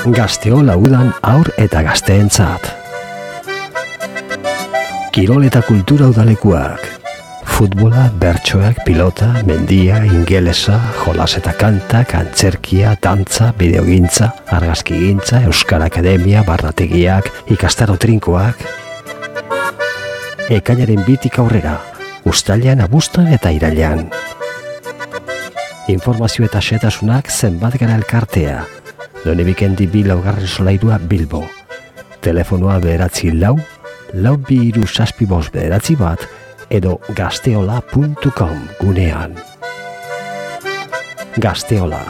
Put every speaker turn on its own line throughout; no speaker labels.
Gazteola udan haur eta gazteentzat. Kirol eta kultura udalekuak. Futbola, bertsoak, pilota, mendia, ingelesa, jolas eta kantak, antzerkia, dantza, bideogintza, argazkigintza, Euskal Akademia, barrategiak, ikastaro trinkoak. Ekainaren 2tik aurrera, uztailean, abuztuan eta irailean. Informazio eta xehetasunak zenbat gara elkartea. Donebikendi 2 laugarren solairua Bilbo. Telefonoa 9 4 2 3 1 edo gazteola.com gunean. Gazteola,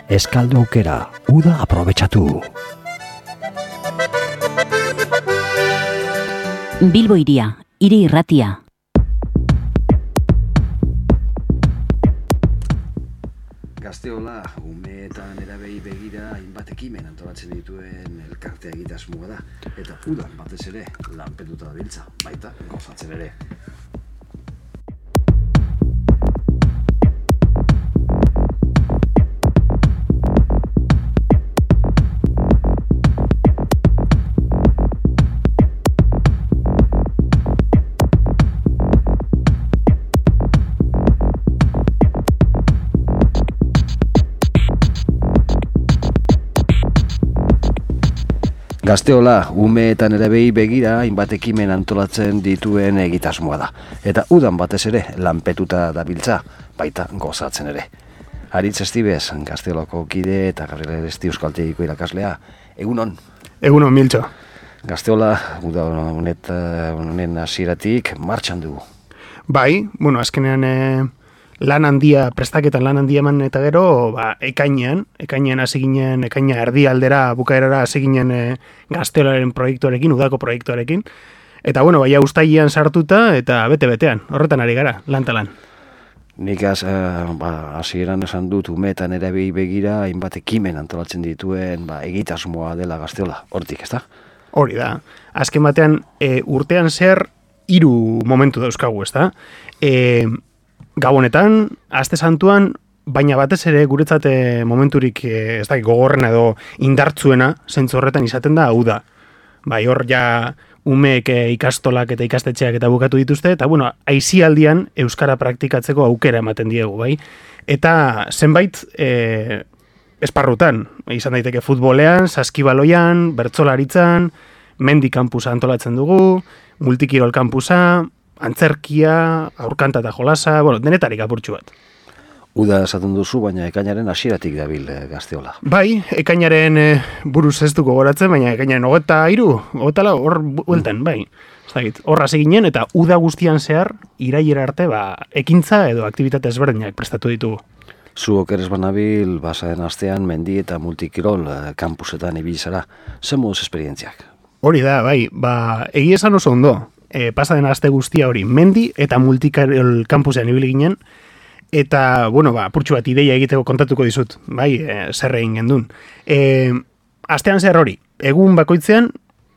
eskaldu aukera, uda aprobetxatu.
Bilbo iria, hiri irratia.
Gazteola, ume eta nerabei begira hainbat ekimen antolatzen dituen elkartea egitasmoa da. Eta udan batez ere lanpetuta dabiltza, baita gozatzen ere. Gazteola, ume eta nerabei begira hainbat ekimen antolatzen dituen egitasmoa da. Eta udan batez ere lanpetuta dabiltza, baita gozatzen ere. Aritz Estibez, Gazteolako kide eta Gabriel Eresti euskaltegiko irakaslea. Egunon?
Egunon, Miltxo.
Gazteola, uda honen hasieratik martxan dugu.
Bai, azkenean lan handia, prestaketan lan handia eman eta gero, ekainean hasi ginen, ekaina erdialdera bukaerara hasi ginen Gazteolaren proiektuarekin, udako proiektuarekin. Eta baina uztailean sartuta eta bete-betean, horretan ari gara, lan talan.
Nik hasieran esan dut ume eta nerabei begira hainbat ekimen antolatzen dituen egitasmoa dela Gazteola, hortik, ezta?
Hori da. Azken batean urtean zer 3 momentu dauzkagu, ezta? Gabonetan, aste santuan, baina batez ere guretzat momenturik ez da gogorrena edo indartzuena zentzu horretan izaten da hau da. Bai, hor ja umeek ikastolak eta ikastetxeak eta bukatu dituzte, eta aisialdian euskara praktikatzeko aukera ematen diegu, bai. Eta zenbait esparrutan, izan daiteke futbolean, saskibaloian, bertsolaritzan, mendi kampusa antolatzen dugu, multikirol kampusa, antzerkia, aurkanta eta jolasa, denetarik apurtxu bat.
Uda esaten duzu, baina ekainaren hasieratik dabil Gazteola.
Bai, ekainaren buruz ez duko goratzen, baina ekainaren 23, hor bueltan, bai. Hor hasi ginen eta uda guztian zehar, irailera arte, ekintza edo aktibitate ezberdinak prestatu ditugu.
Zuok ere banabil, basaden astean mendi eta multikirol kampusetan ibili zara. Zer moduz esperientziak? Hori
da, bai, egia esan oso ondo. Pasaden aste guztia hori mendi eta multikirol kampusean ibili ginen, eta, apurtxu bat ideia egiteko kontatuko dizut, bai, zer egin gendun. Astean zer hori, egun bakoitzean,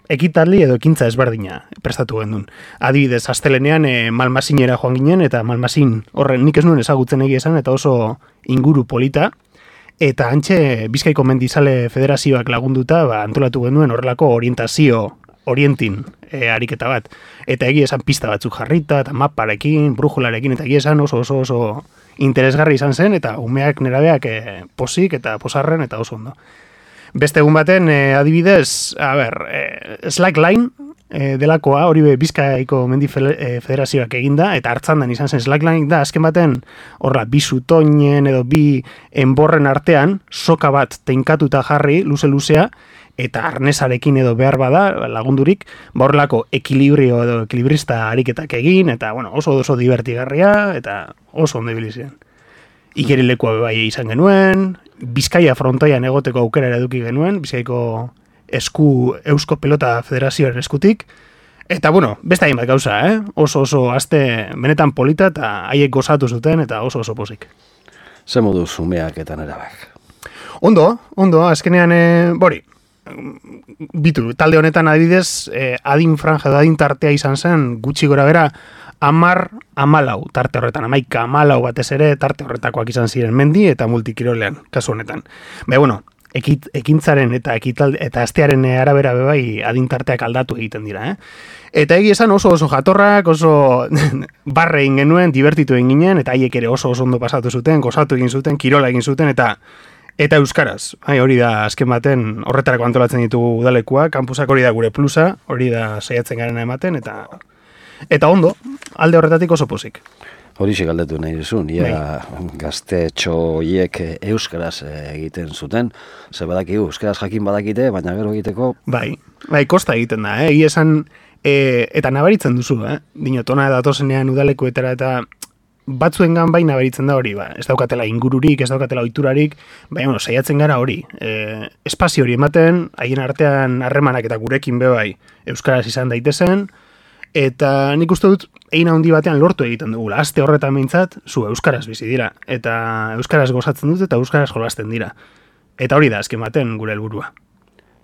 ekitaldi edo ekintza ezberdina prestatu gendun. Adibidez, astelenean Malmasinera joan ginen, eta Malmasin horren nik ez nuen ezagutzen egia esan, eta oso inguru polita, eta antxe Bizkaiko Mendizale Federazioak lagunduta antolatu genduen horrelako orientin ariketa bat. Eta egia esan pista batzuk jarrita, eta maparekin, brujularekin, eta egia esan oso interesgarri izan zen, eta umeak nerabeak posik eta posarren eta oso ondo. Beste egun baten, adibidez, slackline delakoa, hori Bizkaiko Mendi Federazioak eginda, eta hartzandan izan zen slackline da, azken baten, horra, 2 zutoinen edo 2 enborren artean, soka bat teinkatuta jarri, luze-luzea, eta arnesarekin edo behar bada, lagundurik, horrelako ekilibrio edo ekilibrista ariketak egin, eta oso divertigarria, eta oso ondo ibili ziren. Ikerilekoa bai izan genuen, Bizkaia frontoian egoteko aukera eduki genuen, Bizkaiko Eusko Pelota Federazioaren eskutik, eta beste hainbat gauza, oso aste benetan polita, eta haiek gozatu zuten, eta oso pozik.
Zer moduz umeak eta nerabak?
Ondo, azkenean, bitu, talde honetan adibidez, adin franja edo adin tartea izan zen, gutxi gora bera, 10-14 tarte horretan, 11-14 batez ere tarte horretakoak izan ziren mendi eta multikirolean, kasu honetan. ekintzaren eta astearen arabera bai adintarteak aldatu egiten dira, Eta egi esan oso jatorrak, oso barre egin genuen, divertitu egin ginen, eta haiek ere oso ondo pasatu zuten, gozatu egin zuten, kirola egin zuten, eta euskaraz. Hori da, azken baten, horretarako antolatzen ditugu udalekua, kampusak hori da gure plusa, hori da saiatzen garena ematen, eta ondo, alde horretatik oso pozik.
Horixe galdetu nahi duzun, gaztetxo hiek euskaraz egiten zuten, ze badakigu, euskaraz jakin badakite, baina gero egiteko... Bai,
kosta egiten da, egi esan, eta nabaritzen duzu, dinotona datozenean udalekuetara eta batzuengan bai nabaritzen da hori, ez daukatela ingururik, ez daukatela ohiturarik, baina saiatzen gara hori, espazio hori ematen, haien artean harremanak eta gurekin bai euskaraz izan daitezen, eta nik uste dut, egin handi batean lortu egiten dugula. Aste horretan behintzat, zu euskaraz bizi dira. Eta euskaraz gozatzen dut eta euskaraz jolasten dira. Eta hori da, azken baten gure helburua.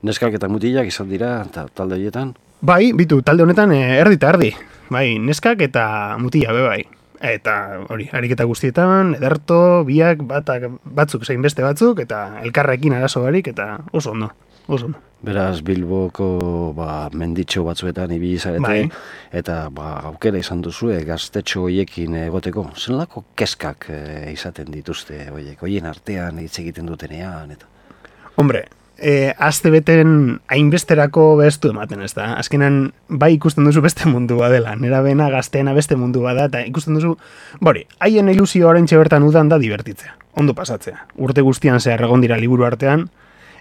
Neskak eta mutilak izan dira, talde horietan?
Bai, talde honetan erdi eta erdi. Bai, neskak eta mutila bai. Eta hori, ariketa guztietan, ederto, biak, batzuk zein beste batzuk, eta elkarrekin arazo barik, eta oso ondo.
Beraz, Bilboko menditxo batzuetan ibili zarete, eta aukera izan duzue gaztetxo hoiekin egoteko. Zenolako kezkak izaten dituzte hoien artean hitz egiten dutenean? Eta...
Hombre, aste beten hainbesterako bestu ematen, ez da? Azkenan, bai ikusten duzu beste mundu badela, nera bena gazteena beste mundu bada, eta ikusten duzu, haien ilusio oraintxe bertan udan da divertitzea, ondo pasatzea. Urte guztian zehar egon dira liburu artean,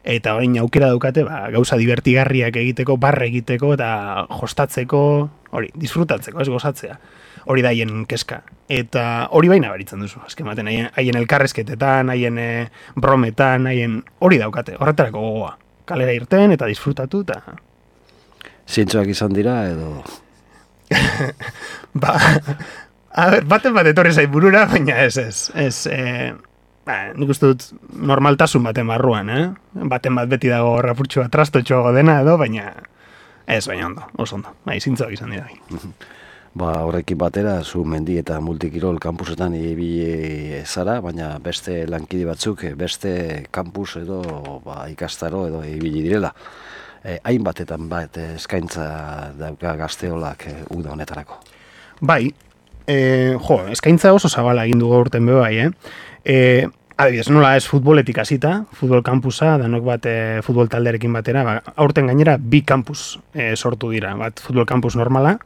eta orain aukera daukate, gauza divertigarriak egiteko, barre egiteko, eta jostatzeko, disfrutatzeko, ez gozatzea. Hori da haien kezka. Eta hori baina baritzen duzu, azken baten, haien elkarrezketetan, haien brometan, hori daukate, horretarako gogoa. Kalera irten eta disfrutatu, eta...
Zintzoak izan dira, edo...
baten bat etorri zait burura, baina ez... nik uste dut normaltasun baten barruan, Baten bat beti dago rapurtxua trastotxoago dena edo, baina ondo, oso ondo. Zintzoak izan dira.
Horrekin batera, zu mendi eta multikirol kampusetan ibili zara, baina beste lankide batzuk, beste kampus edo ikastaro edo ibili direla. Hainbatetan eskaintza dauka Gazteolak uda honetarako. Bai,
eskaintza oso zabala egin dugu urten bai, adibidez, nola ez futboletik hasita, futbol kampusa, danok bat futbol taldearekin batera, aurten gainera bi kampus sortu dira, bat futbol kampus normala,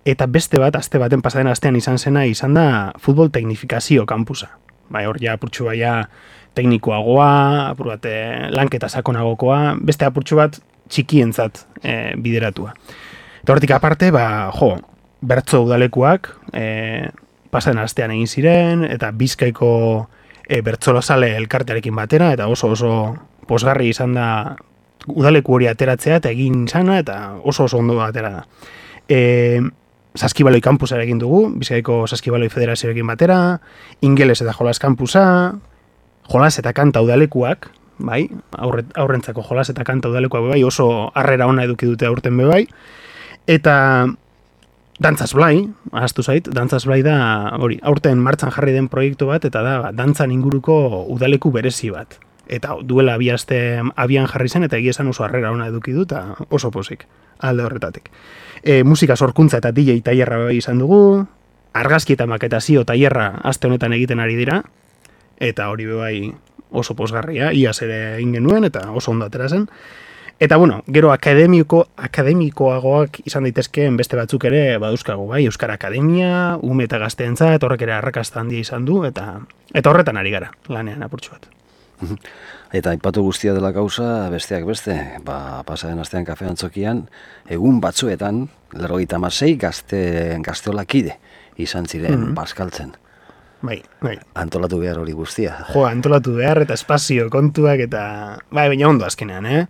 eta beste bat, aste baten pasaden astean izan da futbol teknifikazio kampusa. Hor ja apurtxu baia teknikoagoa, apur bat lanketa sakonagokoa, beste apurtxu bat txikientzat bideratua. Eta hortik aparte, bertso udalekuak pasaden astean egin ziren, eta Bizkaiko bertsolazale elkartearekin batera, eta oso posgarri izan da udaleku hori ateratzea, eta egin izana, eta oso ondo atera da. Saskibaloi kampusara egin dugu, Bizkaiko Saskibaloi Federazioekin batera, ingeles eta jolas kampusa, jolas eta kanta udalekuak, aurrentzako jolas eta kanta udalekuak oso harrera ona eduki dute aurten bai, eta Dantzaz Blai, ahaztu zait, Dantzaz Blai da, aurten martxan jarri den proiektu bat, eta da, dantzan inguruko udaleku berezi bat. Eta duela bi aste abian jarri zen, eta egia esan oso harrera ona eduki du, eta oso pozik, alde horretatik. Musika sorkuntza eta DJ tailerra bai izan dugu, argazki eta maketazio tailerra aste honetan egiten ari dira, eta hori bai oso posgarria, iaz ere egin genuen, eta oso ondo atera zen. Eta, gero akademikoagoak izan daitezkeen beste batzuk ere baduzkago, Euskara Akademia, ume eta gazteentzat, horrek ere arrakasta handia izan du, eta horretan ari gara, lanean apurtxu bat.
Eta aipatu guztia dela gauza, besteak beste, pasaden astean Kafe Antzokian, egun batzuetan, 56 gazteolakide izan ziren bazkaltzen.
Bai.
Antolatu behar hori guztia.
Antolatu behar eta espazio kontuak eta... baina ondo azkenean,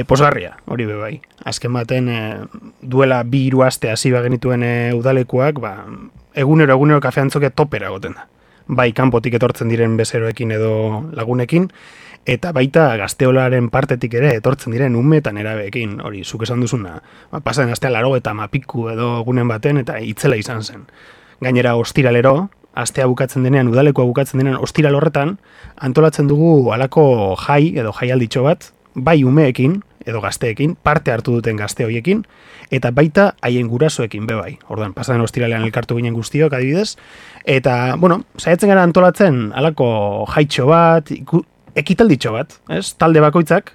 posgarria, hori bai. Azken baten duela 2 aste hasi genituen udalekuak, egunero Kafe Antzokia topera goten da. Bai, kanpotik etortzen diren bezeroekin edo lagunekin, eta baita Gazteolaren partetik ere etortzen diren ume eta nerabeekin, hori, zuk esan duzuna. Pasaden astean 80 piku edo egunen baten, eta itzela izan zen. Gainera, ostiralero, astea bukatzen denean, udalekoa bukatzen denean, ostiral horretan, antolatzen dugu halako jai edo jaialditxo bat, bai umeekin edo gazteekin, parte hartu duten gazte horiekin, eta baita haien gurasoekin bai. Orduan, pasaden ostiralean elkartu ginen guztiok, adibidez, eta, bueno, saiatzen gara antolatzen halako jaitxo bat, ekitalditxo bat, ez? Talde bakoitzak,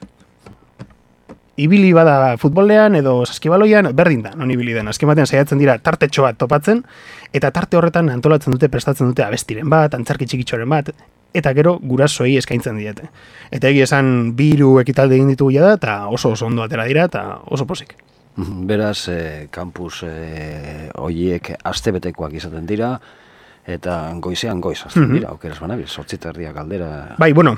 ibili bada futbolean edo saskibaloian, berdin da, non ibili den. Azken batean saiatzen dira tartetxo bat topatzen, eta tarte horretan antolatzen dute, prestatzen dute abestiren bat, antzarki txikitxoren bat, eta gero gurasoei eskaintzen diete. Eta egia esan 2 ekitaldi egin ditugu da, eta oso ondo atera dira, eta oso posik.
Beraz, kampus horiek astebetekoak izaten dira, eta goizean goiz, azten dira, aukeraz banabil, 8:30 galdera.
Bai, bueno,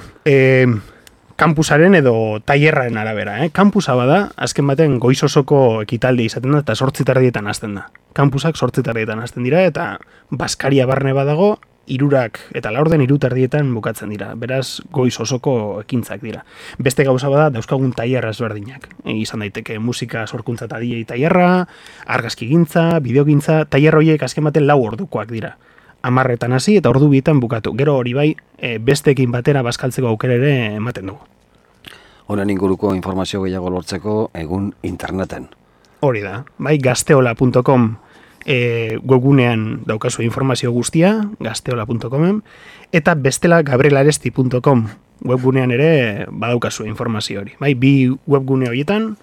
kampusaren edo tailerraren arabera. Kampusa bada, azken baten goiz osoko ekitaldi izaten da, eta 8:30 hasten da. Kampusak 8:30 hasten dira, eta Baskaria barne badago, 3 eta 3:30 bukatzen dira. Beraz, goiz osoko ekintzak dira. Beste gauza bada, dauzkagun tailerra ezberdinak. Izan daiteke musika sorkuntza eta DJ tailerra, argazkigintza, bideogintza, tailer horiek azken baten 4 ordukoak dira. 10 hasi eta ordu 2 bukatu. Gero hori bai, besteekin batera bazkaltzeko aukera ere ematen dugu.
Honen inguruko informazio gehiago lortzeko egun interneten.
Hori da, bai, gazteola.com webgunean daukazu informazio guztia, gazteola.comen, eta bestela gabrielaresti.com webgunean ere badaukazu informazio hori. Bai, 2 webgune horietan,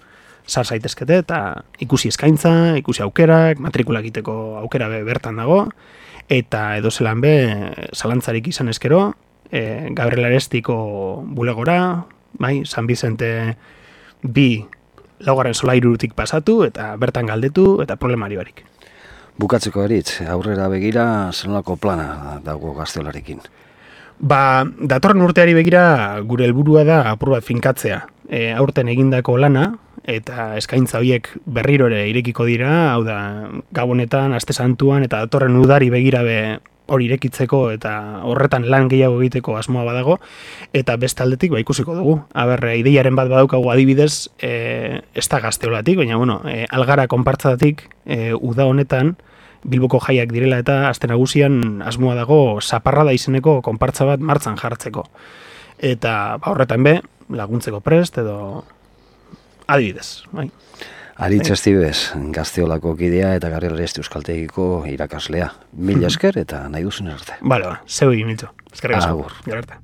sar zaitezkete eta ikusi eskaintza, ikusi aukerak, matrikula egiteko aukera bertan dago, eta edo zelan zalantzarik izan eskero, Gabriel Arestiko bulegora, bai, San Vicente 2 laugarren solairutik pasatu, eta bertan galdetu, eta problemari barik.
Bukatzeko eritz, aurrera begira, zenolako plana dago Gazteolarekin?
Datorren urteari begira gure helburua da apur bat finkatzea. Aurten egindako lana, eta eskaintza horiek berriro ere irekiko dira, hau da, Gabonetan, Aste Santuan, eta datorren udari begira hori irekitzeko, eta horretan lan gehiago egiteko asmoa badago, eta beste aldetik ikusiko dugu. Ideiaren bat badaukagu adibidez, ez da Gazteolatik, baina, bueno, Algara konpartzadatik, uda honetan, Bilboko jaiak direla eta aste nagusian asmoa dago Zaparrada izeneko konpartza bat martzan jartzeko. Eta horretan laguntzeko prest edo adibidez. Bai.
Aritz Estibes, Gazteolako kidea eta Gabriel Aresti euskaltegiko irakaslea. Mila esker eta nahi duzen arte.
Bale, zeu egin mitzo. Eskerrik asko.
Agur.
Gero arte.